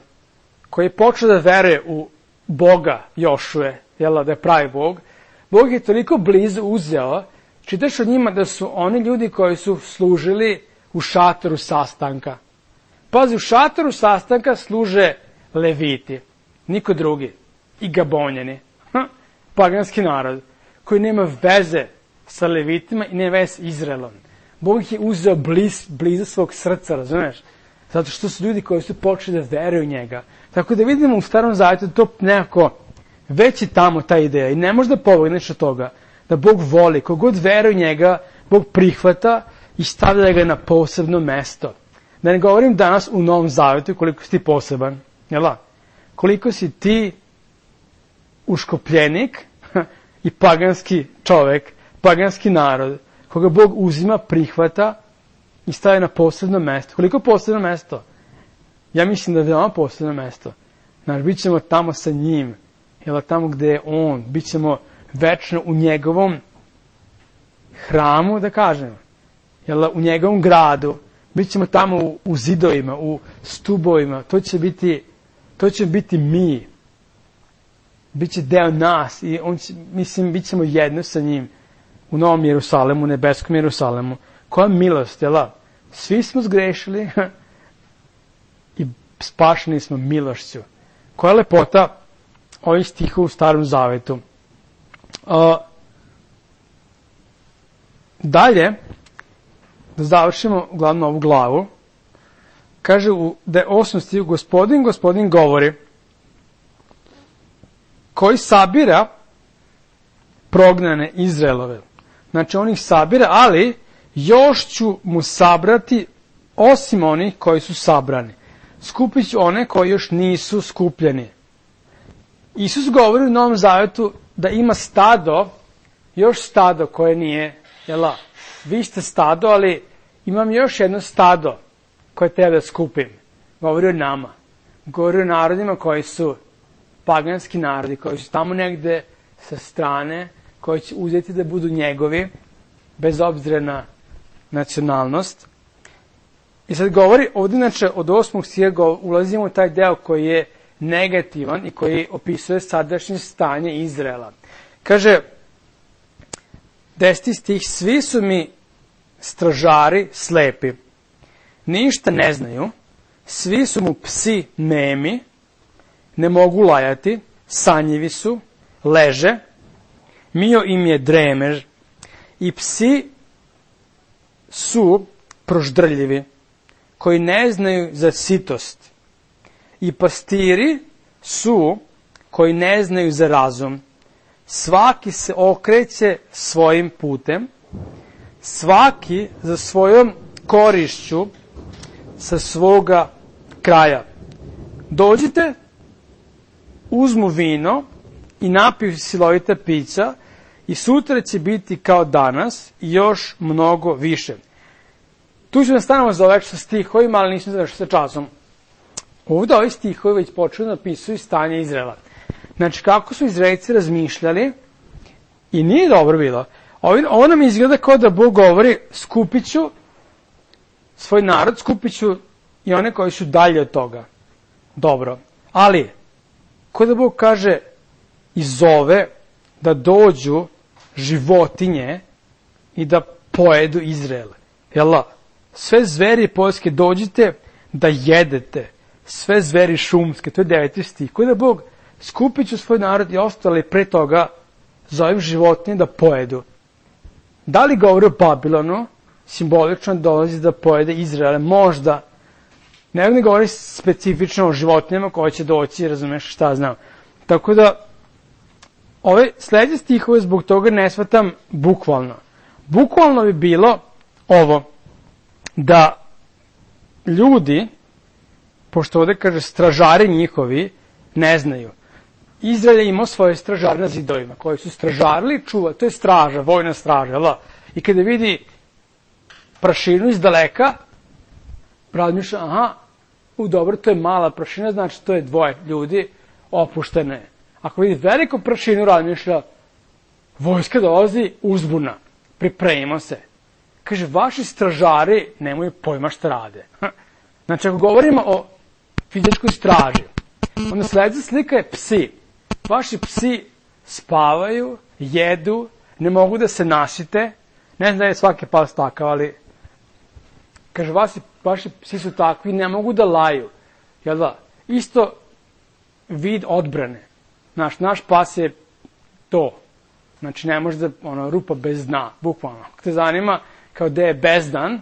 koji je počeo da veruje u Boga Jošuje, da je pravi Bog, Bog je toliko blizu uzeo, čitaš o njima da su oni ljudi koji su služili u šatoru sastanka. Pazi, u šatoru sastanka služe Leviti, niko drugi, i Gabonjani, paganski narod, koji nema veze sa Levitima i nema veze s Izraelom. Bog ih je uzeo blizu svog srca, razumeš? Zato što su ljudi koji su počeli da veruju u njega. Tako da vidimo u Starom Zavetu to nekako već je tamo ta ideja i ne može da pobegneš od toga da Bog voli, kogod veruje u njega, Bog prihvata i stavlja ga na posebno mesto. Da ne govorim danas u Novom Zavetu koliko si ti poseban, koliko si ti uškopljenik i paganski čovek, paganski narod, koga Bog uzima, prihvata i stavlja na posebno mesto. Koliko posebno mesto? Ja mislim da je veoma posebno mesto. Znači, bit ćemo tamo sa njim, tamo gde je on, bit ćemo večno u njegovom hramu, da kažem, u njegovom gradu, bit ćemo tamo u zidovima, u stubovima, to će biti mi, bit će deo nas i bit ćemo jedno sa njim u Novom Jerusalemu, u nebeskom Jerusalemu. Koja milost, Svi smo zgrešili i spašeni smo milošću. Koja lepota ovih stihova u Starom Zavetu. Dalje, da završimo glavno ovu glavu, kaže da je 8. stih, Gospodin govori, koji sabira prognane Izraelove. Znači, on ih sabira, ali još ću mu sabrati osim onih koji su sabrani. Skupit ću one koji još nisu skupljeni. Isus govori u Novom Zavetu da ima stado, još stado koje nije, vi ste stado, ali imam još jedno stado koje treba da skupim. Govori o nama. Govori o narodima koji su paganski narodi, koji su tamo negde sa strane, koji će uzeti da budu njegovi, bez obzira na nacionalnost. I sad govori, ovdje inače od 8. stiha ulazimo u taj deo koji je negativan i koji opisuje sadašnje stanje Izraela. Kaže, 10. stih, svi su mi stražari slepi, ništa ne znaju, svi su mu psi nemi, ne mogu lajati, sanjivi su, leže, mio im je dremež i psi su proždrljivi, koji ne znaju za sitost. I pastiri su koji ne znaju za razum. Svaki se okreće svojim putem, svaki za svojom korišću sa svoga kraja. Dođite, uzmu vino i napiju silovita pića i sutra će biti kao danas i još mnogo više. Tu ću da stanemo za ovek sa stihovima, ali nisam završio sa časom. Ovdje ovi stihovi već počeli da opisuju stanje Izraela. Znači, kako su Izraelci razmišljali i nije dobro bilo. Ovo nam izgleda kao da Bog govori, skupit ću svoj narod, skupit ću i one koji su dalje od toga. Dobro. Ali, kao da Bog kaže i zove da dođu životinje i da pojedu Izrael. Sve zveri poljske dođite da jedete. Sve zveri šumske, to je 9. stih. Kao da Bog skupit ću svoj narod i ostali pre toga zovem životinje da pojedu. Da li govori o Babilonu, simbolično dolazi da pojede Izrael? Možda. Ne govori specifično o životinjama koje će doći, razumeš šta znam. Tako da, ove sledeće stihove zbog toga ne shvatam bukvalno. Bukvalno bi bilo ovo, da ljudi, pošto ovde kaže stražari njihovi, ne znaju. Izrael je imao svoje stražare na zidovima, koji su stražarili, čuva, to je straža, vojna straža, I kada vidi prašinu iz daleka, razmišlja, dobro, to je mala prašina, znači to je dvoje ljudi opuštene. Ako vidi veliku prašinu, razmišlja, vojska dolazi, uzbuna, pripremimo se. Kaže, vaši stražari nemaju pojma šta rade. Znači, ako govorimo o fizičkoj straži, onda sledeća slika je psi. Vaši psi spavaju, jedu, ne mogu da se nasite. Ne znam da je svaki pas takav, ali kaže, vaši psi su takvi, ne mogu da laju. Jel da? Isto vid odbrane. Naš pas je to. Znači, ne može da, rupa bez dna, bukvalno. Ako te zanima, kao da je bezdan,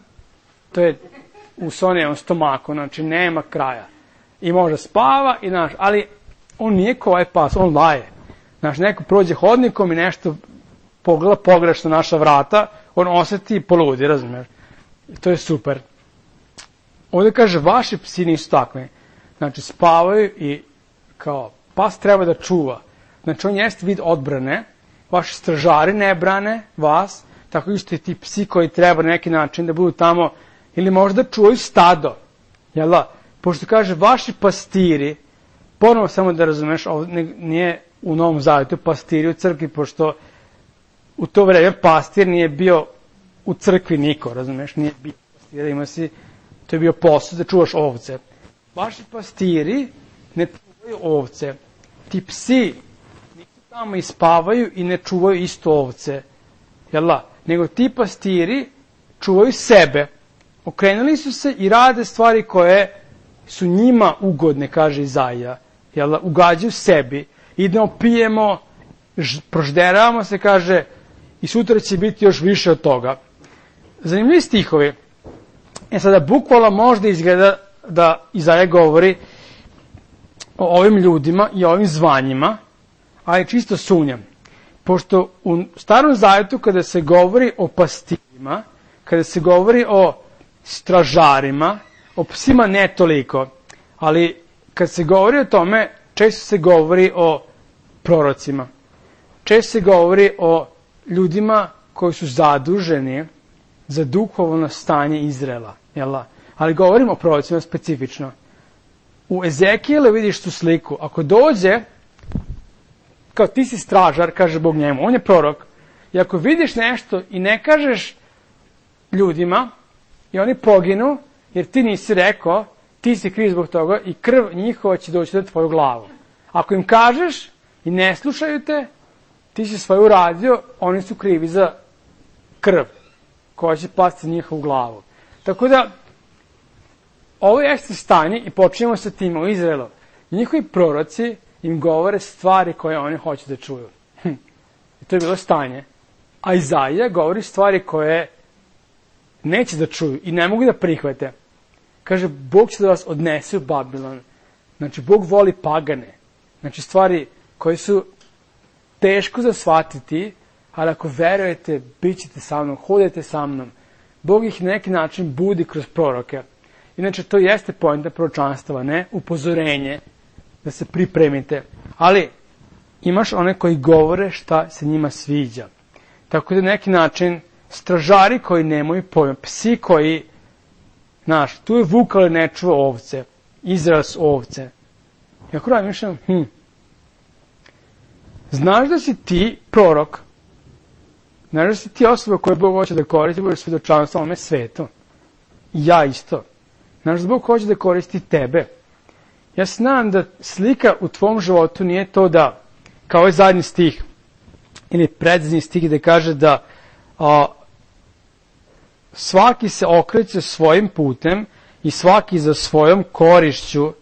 to je u Sonijevom stomaku, znači, nema kraja. I može spava, ali on nije kao ovaj pas, on laje. Znači, neko prođe hodnikom i nešto pogleda pogrešno naša vrata, on oseti i poludi, razumiješ? I to je super. Ovdje kaže, vaši psi nisu takvi. Znači, spavaju i kao pas treba da čuva. Znači, on jeste vid odbrane, vaši stražari ne brane vas, tako isto i ti psi koji treba na neki način da budu tamo, ili možda čuvaju stado. Jel da? Pošto kaže, vaši pastiri, ponovo samo da razumeš, ovo nije u Novom Zavjetu pastiri u crkvi, pošto u to vreme pastir nije bio u crkvi niko, razumeš, nije bio pastira, ima si, to je bio posao da čuvaš ovce. Vaši pastiri ne čuvaju ovce, ti psi nisu tamo i spavaju i ne čuvaju isto ovce, jel da? Nego ti pastiri čuvaju sebe, okrenuli su se i rade stvari koje su njima ugodne, kaže Izaija, jel da? Ugađaju sebi, idemo, pijemo, prožderavamo se, kaže, i sutra će biti još više od toga. Zanimljivi stihovi. Sada, bukvalno možda izgleda da Izaija govori o ovim ljudima i ovim zvanjima, ali čisto sumnjam. Pošto u Starom Zavjetu, kada se govori o pastirima, kada se govori o stražarima, o psima ne toliko, ali kad se govori o tome, često se govori o prorocima. Često se govori o ljudima koji su zaduženi za duhovno stanje Izraela. Jel? Ali govorimo o prorocima specifično. U Ezekijelu vidiš tu sliku. Ako dođe, kao ti si stražar, kaže Bog njemu, on je prorok, i ako vidiš nešto i ne kažeš ljudima, i oni poginu, jer ti nisi rekao, ti si kriv zbog toga i krv njihova će doći na tvoju glavu. Ako im kažeš i ne slušaju te, ti si svoje uradio, oni su krivi za krv koja će pasti na njihovu glavu. Tako da, ovo jeste stanje i počinjemo sa tim u Izraelu. Njihovi proroci im govore stvari koje oni hoće da čuju. I to je bilo stanje. A Izaija govori stvari koje neće da čuju i ne mogu da prihvate. Kaže, Bog će da vas odnese u Babilon. Znači, Bog voli pagane. Znači, stvari koje su teško za shvatiti, ali ako verujete, bit ćete sa mnom, hodite sa mnom. Bog ih na neki način budi kroz proroke. Inače, to jeste poenta proročanstava, ne upozorenje, da se pripremite. Ali, imaš one koji govore šta se njima sviđa. Tako da na neki način, stražari koji nemaju pojma, psi koji, znaš, tu je vuk, ali ne čuva ovce, Izrael su ovce. I ako razmišljam, znaš da si ti prorok, znaš da si ti osoba koju Bog hoće da koristi, budeš svedočanstvo ovome svetu. I ja isto. Znaš da Bog hoće da koristi tebe. Ja znam da slika u tvom životu nije to da, kao ovaj zadnji stih, ili predzadnji stih gde kaže da svaki se okreće svojim putem i svaki za svojom korišću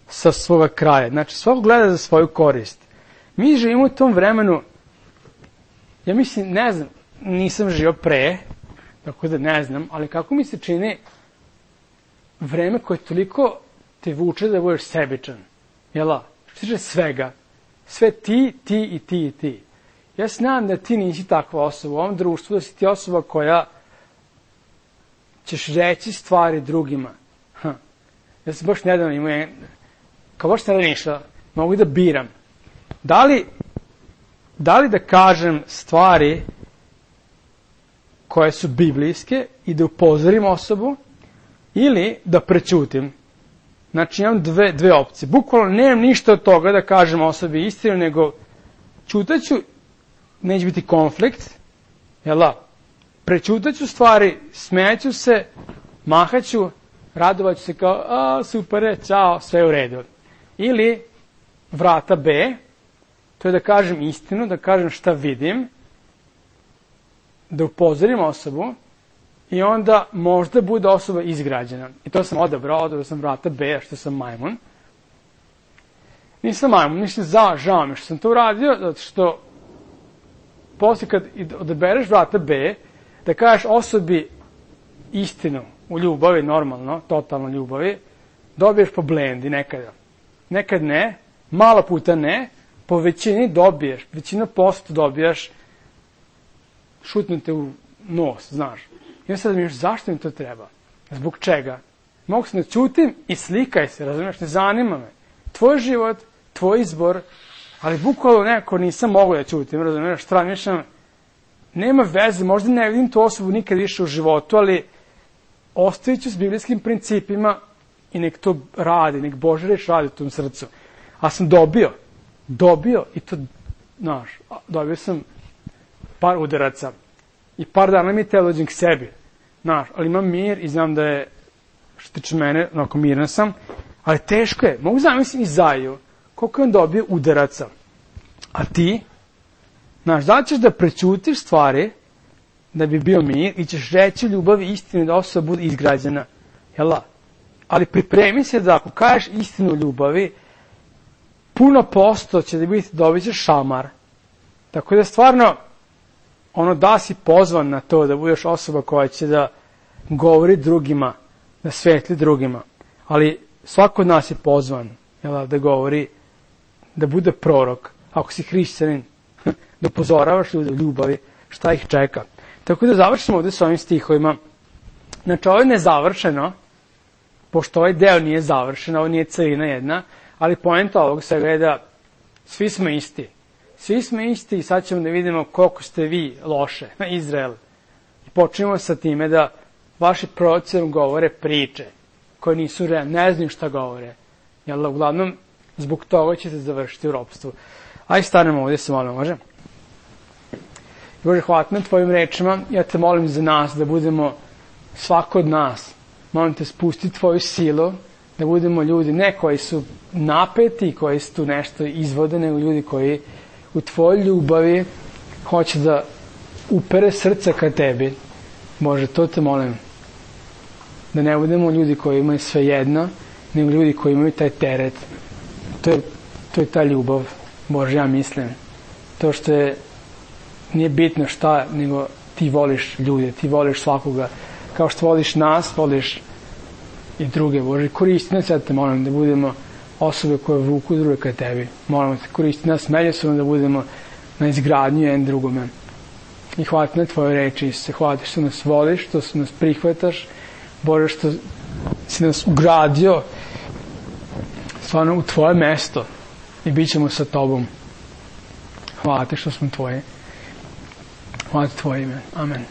sa svoga kraja. Znači, svako gleda za svoju korist. Mi živimo u tom vremenu, ja mislim, ne znam, nisam živio pre, tako da ne znam, ali kako mi se čini vreme koje toliko te vuče da budeš sebičan. Jel' što tiče svega. Sve ti, ti i ti i ti. Ja znam da ti nisi takva osoba u ovom društvu, da si ti osoba koja ćeš reći stvari drugima. Ja sam baš nedavno imao, kao baš nedavno išla, mogu da biram. Da li da kažem stvari koje su biblijske i da upozorim osobu, ili da prećutim. Znači imam dve opcije. Bukvalno nemam ništa od toga da kažem osobi istinu, nego ćutaću, neće biti konflikt, jel da? Prećutaću stvari, smejaću se, mahaću, radovaću se kao, super, čao, sve u redu. Ili vrata B, to je da kažem istinu, da kažem šta vidim, da upozorim osobu i onda možda bude osoba izgrađena. I to sam odabrao sam vrata B, što sam majmun. Nisam majmun, žao mi što sam to uradio, zato što poslije kad odabereš vrata B, da kažeš osobi istinu u ljubavi, normalno, totalno ljubavi, dobiješ po blendi nekada. Nekad ne, malo puta ne, po većini dobiješ, većina posto dobijaš, šutnute u nos, znaš. I onda sad mi zašto mi to treba? Zbog čega? Mogu se načutim i slikaj se, razumiješ, ne zanima me. Tvoj život, tvoj izbor, ali bukvalno nekako nisam mogao da čutim, razumiješ, stranišam, nema veze, možda ne vidim tu osobu nikad više u životu, ali ostavit ću s biblijskim principima i nek to radi, nek Božja reč radi u tom srcu. A sam dobio i to, znaš, dobio sam par udaraca i par dana mi je telo dođem k sebi, znaš, ali imam mir i znam da je, što tiče mene, onako miran sam, ali teško je, mogu zamislim i Zaju, koliko je on dobio udaraca, a ti, znaš, da li ćeš da prećutiš stvari, da bi bio mir i ćeš reći ljubavi istinu da osoba bude izgrađena, jel' ali pripremi se da ako kažeš istinu ljubavi, puno posto će da biti dobit ćeš šamar. Tako da stvarno, da si pozvan na to da budeš osoba koja će da govori drugima, da svetli drugima. Ali svako od nas je pozvan, jel, da govori, da bude prorok. Ako si hrišćanin, da upozoravaš ljude u ljubavi, šta ih čeka. Tako da završimo ovde s ovim stihovima. Znači, ovo je nezavršeno, pošto ovaj deo nije završen, ovo nije celina jedna, ali poenta ovog svega je da svi smo isti. Svi smo isti i sad ćemo da vidimo koliko ste vi loše, na Izrael. I počnemo sa time da vaši proroci govore priče koje nisu realne, ne znaju šta govore. Jel, uglavnom, zbog toga ćete završiti u ropstvu. Aj stanemo ovdje se molim, može? Bože, hvala na tvojim rečima. Ja te molim za nas da budemo, svako od nas, molim te spusti tvoju silu, da budemo ljudi ne koji su napeti, koji su tu nešto izvode, nego ljudi koji u tvojoj ljubavi hoće da upere srce ka tebi. Bože, to te molim. Da ne budemo ljudi koji imaju sve jedno, nego ljudi koji imaju taj teret. To je ta ljubav, Bože, ja mislim. To što nije bitno šta, nego ti voliš ljude, ti voliš svakoga. Kao što voliš nas, voliš i druge, Bože. Koristi nas, ja te molim, da budemo osobe koje vuku druge ka tebi. Molimo te, koristi nas međusobno da budemo na izgradnju jedan drugome. I hvala ti na tvoje reči, Isuse. Hvala ti što nas voliš, što nas prihvataš, Bože, što si nas ugradio stvarno u tvoje mesto i bit ćemo sa tobom. Hvala ti što smo tvoji. Hvala ti tvoje ime. Amen.